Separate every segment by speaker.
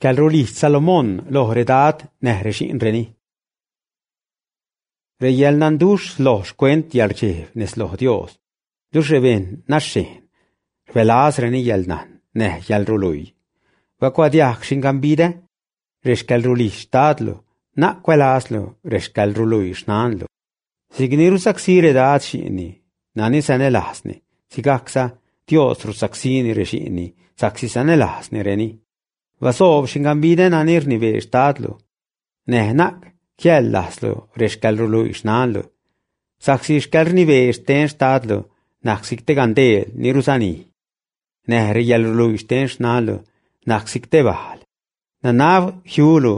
Speaker 1: Xcäḻrulijdx Salomón loj redad näj rexi'nreni. Reyäḻnanduxh sloj xcuent yäḻrdxejb nez loj Dios, luxh rebejṉ naxhejn rbälazreni yäḻnajn näj yäḻruluii. Bacuadiajg xingambidä rexcäḻrulijdx xtadlu, na'c cuälazlu rexcäḻruluii xnanlu. Si'cni rusacsí redad xi'nni nani sanälajzni, sigajcza Dios rusacsíni rexi'nni sa'csi sanälajznireni. Basoob xingambidä nani rnibee xtadlu, näj na'c jiäḻ-lajzlu rexcäḻruluii xnanlu, sa'csi xcäḻrnibee xten xtadlu najc si'c te gandeel ni rusanij, näj reyäḻruluii xten xnanlu najc si'c te bajl. Nanab jiulu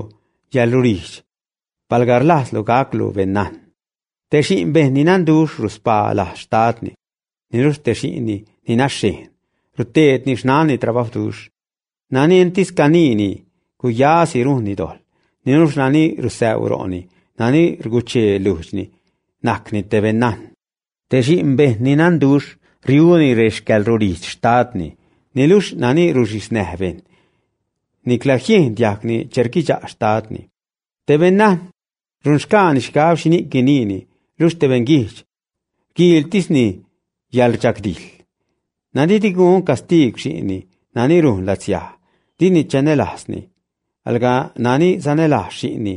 Speaker 1: yäḻrulijdx, palga rlajzlu gaclu beṉnajn. Te xi'n bejṉ ni nanduxh ruspaa lajz xtadni, niluxh te xi'nni ni naxhejn ruteedni xnanni trabajwduxh. Nani entis caniini guyasi rujnni dojḻ, niluxh nani rusäu ro'ni, nani rguchee lujdxni, najcni te beṉnajn. Te xi'n bejṉ ni nanduxh riuni rexcäḻrulijdx xtadni, niluxh nani ruxhiznäj bejṉ, nicla jiejn diajgni che rguidxa' xtadni. Te beṉnajn runxgaani xhigab xhini'c guiniini, luxh te beṉguijdx rguiiltisni yäḻrdxagdijḻ. Nani di gun castiigw xi'nni nani rujn latsiaj, dini chanälajzni, alga nani sanälajz xi'nni,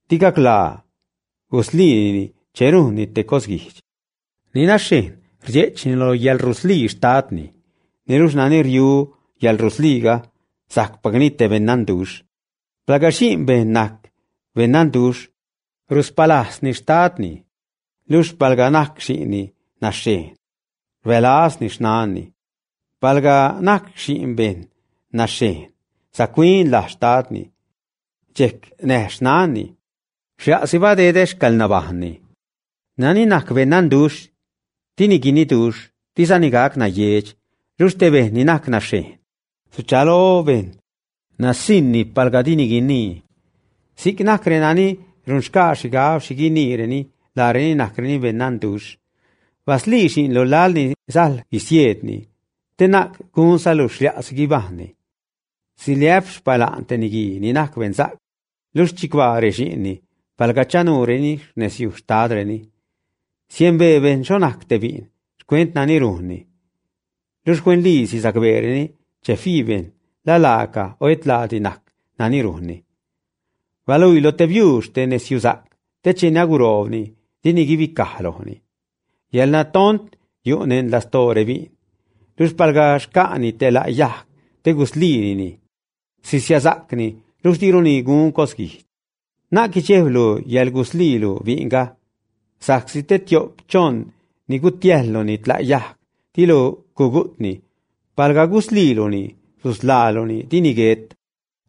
Speaker 1: di gaclaa gusliinini che rujnni te cosguijdx. Ni naxhejn rdxe'chni lo yäḻruslii xtadni, niluxh nani riu yäḻrusliiga sajcpacni te beṉnanduxh. Palga xi'n bejṉ najc beṉnanduxh, ruspalajzni xtadni, luxh palga najc xi'nni naxhejn, rbälazni xnanni. Palga najc xi'n bejṉ naxhejn, sac-huin lajz xtadni, dxejc näj xnanni, xlia'si badedä xcäḻnabajṉni. Nani najc beṉnanduxh, dini guiniduxh, dizani gac nayeedx, luxh te bejṉ ni najc naxhejn, suchalo bejṉ nasiṉni palga dini guinii. Si'c najc renani runxgaa xhigab xhi guiniireni, laareni najcreni beṉnanduxh. Baslii xi'nlu laḻ ni sajl guisieedni, te na'c gunzalu xlia'si guibajṉni. Siliä'p xpala'n te niguii ni najc beṉsa'c, luxh chicbaa rexi'nni palga chanuureni xnezyuj xtadreni. Siembee bejṉ xho najc te bi'n xcuent nani rujnni, luxh huenliisi sacbeereni che fii bejṉ la laaca o et laadi najc nani rujnni. Baluii lo te biuux te nezyusa'c, te cheni aguroobni dini guibicaj lojni. Yäḻnatont yu' neṉ lastoo rebi'n, luxh palga xca'ni te la' yajg te gusliinini, sisiasa'cni, luxh diruni gun cosguijdx. Na'c guidxejblu yäḻgusliilu bi'nga, sa'csi te tio'p choṉ ni gutiäjluni tla' yajg, dilu gugu'tni. Palga gusliiluni, susḻaaluni, dini guet.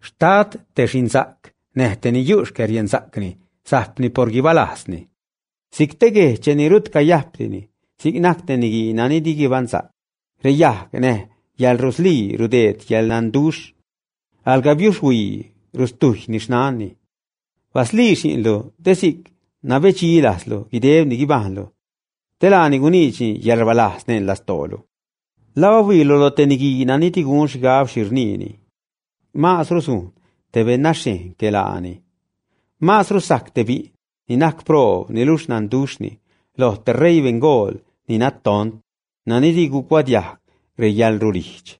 Speaker 1: Xtad te xi'nsa'c näj te ni yu' xcäriensa'cni sajpni por guibalajzni. Si'c te guej cheni rut cayajpdini, si'c najc te niguii nani di guibaṉsa'c. Reyajg näj yäḻruslii rudeed yäḻnanduxh, alga biuxhuii rustujyni xnanni. Baslii xi'nlu te si'c nabedxi lajzlu guideb ni guibajṉlu, te laani guniidxni yäḻrbalajz neṉ lastoolu. ¿La bahuiilu lo te niguii nani di gun xhigab xhi rniini? Maazru sujn te beṉnaxhejn que laani. Maazru sajc te bi'n ni najc proob niluxh nanduxhni, loj te ṟeii beṉgool ni natont, nani di gucuadiajg reyäḻrulijdx.